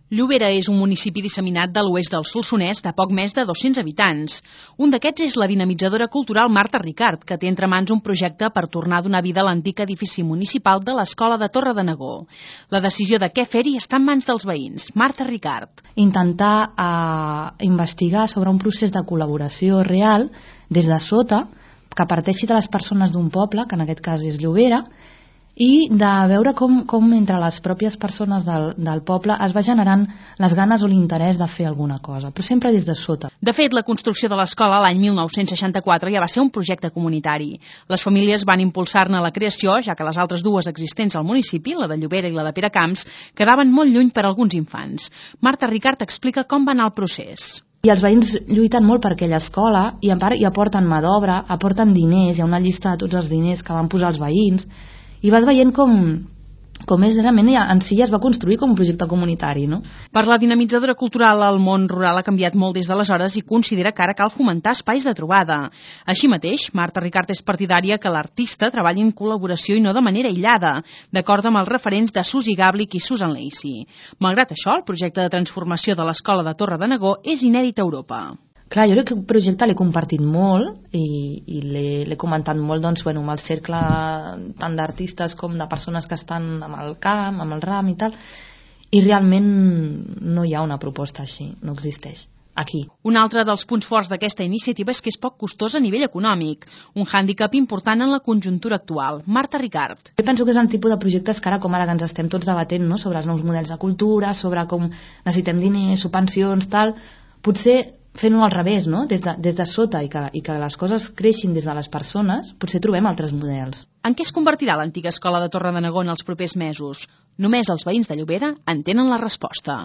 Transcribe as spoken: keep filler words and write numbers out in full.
Llobera és un municipi disseminat de l'oest del Solsonès de poc més de dos-cents habitants. Un d'aquests és la dinamitzadora cultural Marta Ricart, que té entre mans un projecte per tornar a donar vida a l'antic edifici municipal de l'Escola de Torredonegó. La decisió de què fer-hi està en mans dels veïns. Marta Ricart. Intentar eh, investigar sobre un procés de col·laboració real des de sota, que parteixi de les persones d'un poble, que en aquest cas és Llobera, i de veure com, com entre les pròpies persones del, del poble es va generant les ganes o l'interès de fer alguna cosa, però sempre des de sota. De fet, la construcció de l'escola l'any mil nou-cents seixanta-quatre ja va ser un projecte comunitari. Les famílies van impulsar-ne la creació, ja que les altres dues existents al municipi, la de Llobera i la de Peracamps, quedaven molt lluny per a alguns infants. Marta Ricart explica com va anar el procés. I els veïns lluiten molt per aquella escola i a part hi aporten mà d'obra, aporten diners, hi ha una llista de tots els diners que van posar els veïns, i vas veient com, com és realment en si ja es va construir com un projecte comunitari, no? Per la dinamitzadora cultural, el món rural ha canviat molt des d'aleshores i considera que ara cal fomentar espais de trobada. Així mateix, Marta Ricart és partidària que l'artista treballi en col·laboració i no de manera aïllada, d'acord amb els referents de Susi Gàblic i Susan Lacey. Malgrat això, el projecte de transformació de l'Escola de Torredonegó és inèdit a Europa. Clar, jo crec que el projecte l'he compartit molt i, i l'he comentat molt doncs, bueno, amb el cercle tant d'artistes com de persones que estan amb el camp, amb el ram i tal, i realment no hi ha una proposta així, no existeix. Aquí. Un altre dels punts forts d'aquesta iniciativa és que és poc costosa a nivell econòmic, un hàndicap important en la conjuntura actual. Marta Ricart. Jo penso que és el tipus de projectes que ara, com ara que ens estem tots debatent, no?, sobre els nous models de cultura, sobre com necessitem diners, subvencions, tal, potser fent-ho al revés, no?, des de, des de sota i que, i que les coses creixin des de les persones, potser trobem altres models. En què es convertirà l'antiga escola de Torredonegó en els propers mesos? Només els veïns de Llobera en tenen la resposta.